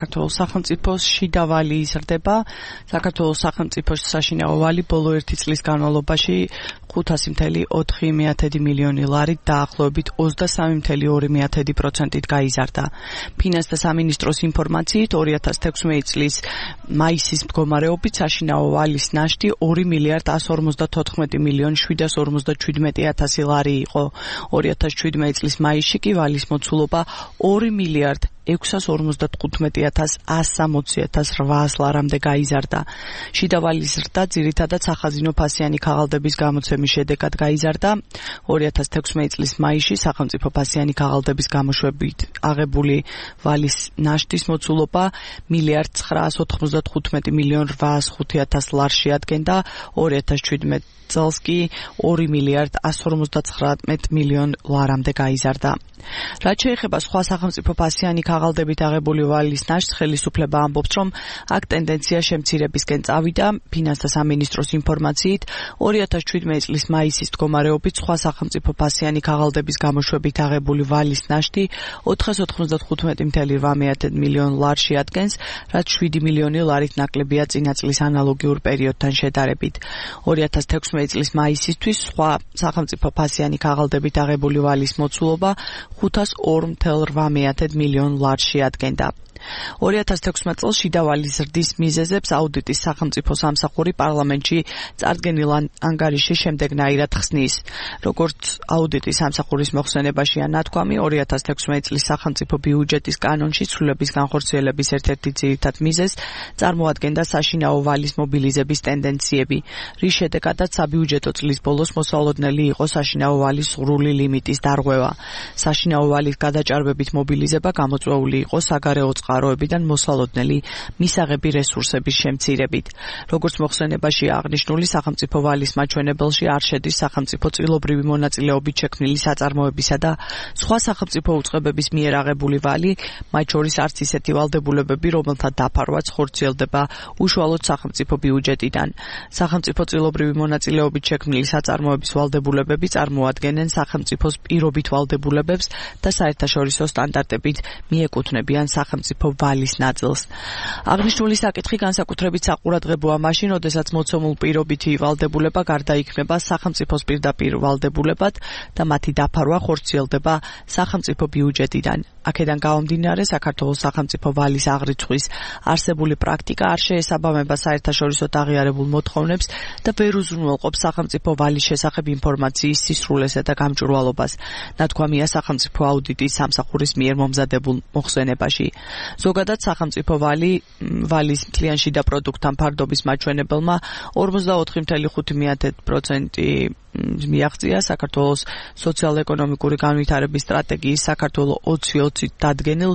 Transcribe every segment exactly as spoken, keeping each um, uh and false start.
საქართველოს სახელმწიფოს შიდა ვალი იზრდება. საქართველოს სახელმწიფოს საშინაო ვალი ბოლო ერთი წლის განმავლობაში ხუთასი წუთი ოთხი მილიონი ლარით დაახლოებით ოცდასამი წუთი ორი პროცენტით გაიზარდა. ფინანსთა სამინისტროს ინფორმაციით ორი ათას თექვსმეტი წლის მაისის მდგომარეობით საშინაო ვალის ნაშთი ორი მილიარდ ასი ორმოცდათოთხმეტი მილიონი შვიდას ორმოცდაჩვიდმეტი ათასი ლარი იყო. ორი ათას შვიდმეტი წლის მაისში კი ვალის მოცულობა ორი მილიარდ ექვსას ორმოცდათხუთმეტი ათას ასს სამოცი ათას რვაას ლარამდე გაიზარდა. შიდა ვალის ზრდა ძირითადად სახაზინო ფასიანი ქაღალდების გამოცემის შედეგად გაიზარდა. ორი ათას თექვსმეტი წლის მაისში სახელმწიფო ფასიანი ქაღალდების გამოშვებით აღებული ვალის ნაშთის მოცულობა მილიარდ ცხრაას ოთხმოცდათხუთმეტი მილიონი რვაას ხუთი ათას ლარს შეადგენდა. ორი ათას შვიდმეტი წელს კი ორი მილიარდ ასი ორმოცდათხრამეტი მილიონი ლარამდე გაიზარდა. რაც შეეხება სხვა სახელმწიფო ფასიანი ქაღალდებით აღებული ვალის ნაშთს, ხელისუფლება ამბობს, რომ აქ ტენდენცია შემცირებისკენ წავიდა. ფინანსთა სამინისტროს ინფორმაციით ორი ათას შვიდმეტი წლის მაისის მდგომარეობით სხვა სახელმწიფო ფასიანი ქაღალდების გამოშვებით აღებული ვალის ნაშთი ოთხას ოთხმოცდათხუთმეტი წუთი რვა მილიონი ლარს შეადგენს, რაც შვიდი მილიონი ლარით ნაკლებია წინა წლის ანალოგიურ პერიოდთან შედარებით. ორი ათას თექვსმეტი წლის მაისისთვის სხვა სახელმწიფო ფასიანი ქაღალდებით აღებული ვალის მოცულობა ხუთას ორ წუთი რვა მილიონი ლარს შეადგენდა. ორი ათას თექვსმეტი წელს შიდა ვალის ზრდის მიზეზებს აუდიტის სახელმწიფო სამსახური პარლამენტში წარდგენილ ანგარიშში შემდეგნაირად ხსნის. როგორც აუდიტის სამსახურის მოხსენებაშია ნათქვამი, ორი ათას თექვსმეტი წლის სახელმწიფო ბიუჯეტის კანონში ცვლილების განხორციელების ერთ-ერთი ძირითად მიზეზს წარმოადგენდა საშინაო ვალის მობილიზების ტენდენციები, რის შედეგადაც საბიუჯეტო წლის ბოლოს მოსალოდნელი იყო საშინაო ვალის სრული ლიმიტის დარღვევა. საშინაო ვალის გადაჭარბებით მობილიზება გამოწვეული იყო საგარეო წყაროებიდან მოსალოდნელი მისაღები რესურსების შემცირებით. როგორც მოხსენებაშია აღნიშნული, სახელმწიფო ვალის მაჩვენებელში არ შედის სახელმწიფო წილობრივი მონაწილეობით შექმნილი საწარმოებისა და სხვა სახელმწიფო უწყებების მიერ აღებული ვალი, მათ შორის არც ისეთი ვალდებულებები, რომელთა დაფარვაც ხორციელდება უშუალოდ სახელმწიფო ბიუჯეტიდან. სახელმწიფო წილობრივი მონაწილეობით შექმნილი საწარმოების ვალდებულებები წარმოადგენენ სახელმწიფოს პირობით ვალდებულებებს და საერთაშორისო სტანდარტებით მიეკუთვნებიან სახელმწიფო ვალის ნაწილს. აღნიშნული საკითხი განსაკუთრებით საყურადღებოა მაშინ, როდესაც მოცემულ პირობითი ვალდებულება გარდაიქმნება სახელმწიფოს პირდაპირ ვალდებულებად და მათი დაფარვა ხორციელდება სახელმწიფო ბიუჯეტიდან. აქედან გამომდინარე, საქართველოს სახელმწიფო ვალის აღრიცხვის არსებული პრაქტიკა არ შეესაბამება საერთაშორისოდ აღიარებულ მოთხოვნებს და ვერ უზრუნველყოფს სახელმწიფო ვალის შესახებ ინფორმაციის სისრულესა და გამჭვირვალობას. ნათქვამია სახელმწიფო აუდიტის სამსახურის მიერ მომზადებულ მოხსენებაში. ზოგადად სახელმწიფო ვალი ვალის მთლიან შიდა პროდუქტთან ფარდობის მაჩვენებელმა ორმოცდაოთხი წუთი ხუთი პროცენტი მიაღწია. საქართველოს სოციალ-ეკონომიკური განვითარების სტრატეგიის საქართველოს ოცი ოცით დადგენილ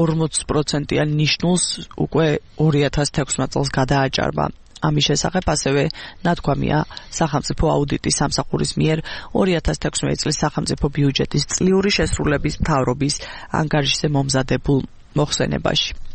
ორმოც პროცენტიან ნიშნულს უკვე ორი ათას თექვსმეტი წელს გადააჭარბა. ამის შესახებ ასევე ნათქვამია სახელმწიფო აუდიტის სამსახურის მიერ ორი ათას თექვსმეტი წლის სახელმწიფო ბიუჯეტის წლიური შესრულების მთავრობის ანგარიშზე მომზადებულ მოხსენებაში.